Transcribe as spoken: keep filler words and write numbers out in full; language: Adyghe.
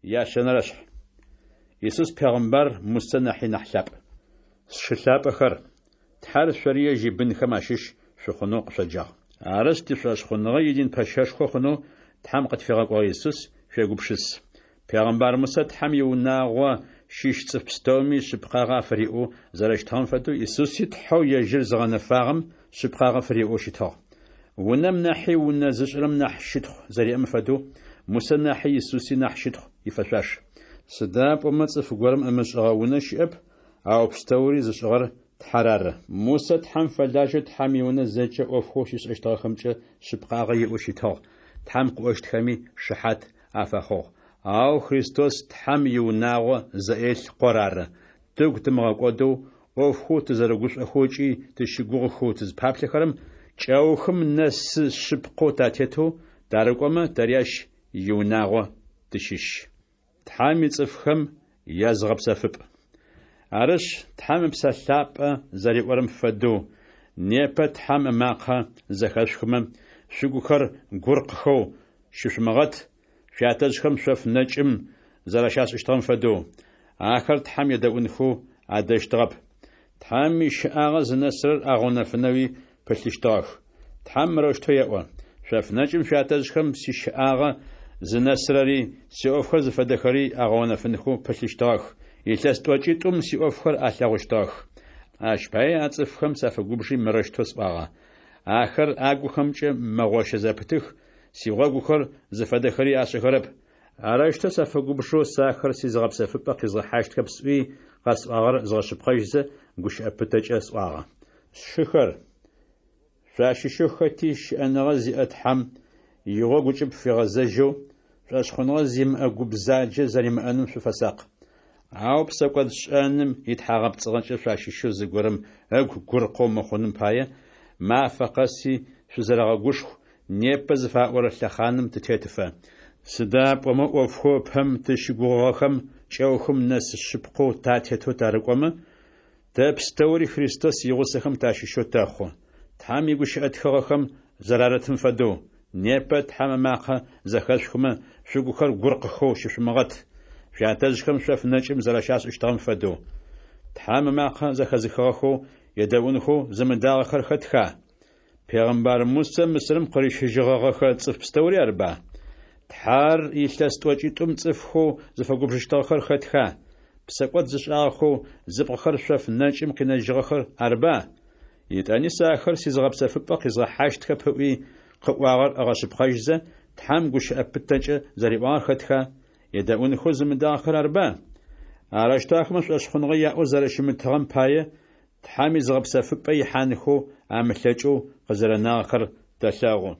Ящэнэрэшъхь. Исус пегъымбар Мусэ нахьи нахь лъапӏ. Сшы лъапӏэхэр, Тхьэр шъори ежь ибынхэм ащыщ шъухъунэу къышъоджагъ. Арышъ, тишӏошъхъуныгъэ идин пэщэшхо хъунэу Тхьэм къытфигъэкӏогъэ Исус шъуегупшыс. Пегъымбар Мусэ Тхьэм иунагъо щыщ цӏыф пстэуми шъыпкъагъэ афыриӏэу зэрэщытыгъэм фэдэу, Исуси Тхьэу ежьыр зыгъэнэфагъэм шъыпкъагъэ фыриӏэу щытыгъ. Унэм нахьи унэ зышӏырэм нахь щытхъу зэриӏэм фэдэу, Мусэ нахьи Исуси нахь щытхъу ифэшъуаш. Сыда пӏомэ цӏыф горэм ымышӏыгъэ унэ щыӏэп, ау пстэури зышӏыгъэр Тхьэр ары. Мусэ Тхьэм фэлажьэу Тхьэм иунэ зэкӏэ ӏофхэу щишӏэщтыгъэхэмкӏэ шъыпкъагъэ иӏэу щытыгъ, Тхьэм къыӏощтхэми шыхьат афэхъугъ. Ау Христос Тхьэм иунагъо зэӏелъ Къор ары. Тыгу тымыгъэкӏодэу, ӏофхэу тызэрыгушӏохэу ыкӏи тыщыгугъыхэу тызпаплъэхэрэм кӏэухым нэсы шъыпкъэу татетэу тарыкӏомэ, тэри ащ иунагъо тыщыщ. Тхьэм ицӏыфхэм языгъэпсэфыпӏ. Арышъ, Тхьэм Ыпсэ Лъапӏэ зэриӏорэм фэдэу, непэ Тхьэм ымакъэ зэхэшъухымэ, шъугухэр гуркъхэу щышъумыгъэт, шъуятэжъхэм шъоф нэкӏым зэрэщашӏыщтыгъэм фэдэу. Ахэр Тхьэм едэӏунхэу адэщтыгъэп. Тхьэм ищыӏагъэ зынэсырэр агъэунэфынэуи пылъыщтыгъэх. Тхьэм мырэущтэу еӏо: «Шъоф нэкӏым шъуятэжъхэм сищыӏагъэ зынэсырэри, сиӏофхэр зыфэдэхэри агъэунэфынхэу пылъыщтыгъэх, илъэс тӏокӏитӏум сиӏофхэр алъэгъущтыгъэх». Ащ пае а цӏыфхэм сафэгубжи мырэущтэу сӏуагъэ: «Ахэр агухэмкӏэ мэгъощэ зэпытых, сигъогухэр зыфэдэхэри ашӏэхэрэп». Арэущтэу сафэгубжэу сэ ахэр сизыгъэпсэфыпӏэ къизгъэхьащтхэп сӏуи, къэсӏуагъэр згъэшъыпкъэжьызэ, гущыӏэ пытэкӏэ сӏуагъэ. Сшыхэр, шъуащыщэу хэти щыӏэныгъэ зиӏэ Тхьэм игъогу ыкӏыб фигъэзэжьэу, шӏошъхъуныгъэ зимыӏэ гу бзаджэ зэримыӏэным шъуфэсакъ. Ау псэкӏодшӏэным итхьагъэпцӏыгъэкӏэ шъуащыщэу зыгорэм ыгу гуркъэу мыхъуным пае, мафэ къэси шъузэрэгъэгушху, непэ зыфаӏорэ лъэхъаным тытетыфэ. Сыда пӏомэ ӏофхэу ыпэм тызщыгугъыгъэхэм кӏэухым нэс шъыпкъэу татетэу тарыкӏомэ, тэ пстэури Христос игъусэхэм тащыщэу тэхъу. Тхьэм игущыӏэ тхыгъэхэм зэрарытым фэдэу, непэ Тхьэм ымакъэ зэхэшъухымэ, шъугухэр гуркъхэу щышъумыгъэт, шъуятэжъхэм шъоф нэкӏым зэрэщашӏыщтыгъэм фэдэу. Тхьэм ымакъэ зэхэзыхыгъэхэу едэӏунхэу зымыдагъэхэр хэтха? Пегъымбар Мусэ Мысырым къырищыжьыгъэгъэхэ цӏыф пстэури арыба? Тхьэр илъэс тӏокӏитӏум цӏыфхэу зыфэгубжыщтыгъэхэр хэтха? Псэкӏод зышӏагъэхэу зыпкъыхэр шъоф нэкӏым къинэжьыгъэхэр арыба? Етӏани сэ ахэр сизыгъэпсэфыпӏэ къизгъэхьащтхэп ыӏуи, къыӏуагъэр ыгъэшъыпкъэжьызэ, Тхьэм гущыӏэ пытэкӏэ зэриӏуагъэр хэтха? Едэӏунхэу зымыдагъэхэр арыба? Арэущтэу ахэмэ шӏошъхъуныгъэ яӏэу зэрэщымытыгъэм пае, Тхьэм изыгъэпсэфыпӏэ ихьанхэу амылъэкӏэу къызэрэнагъэхэр тэлъэгъу.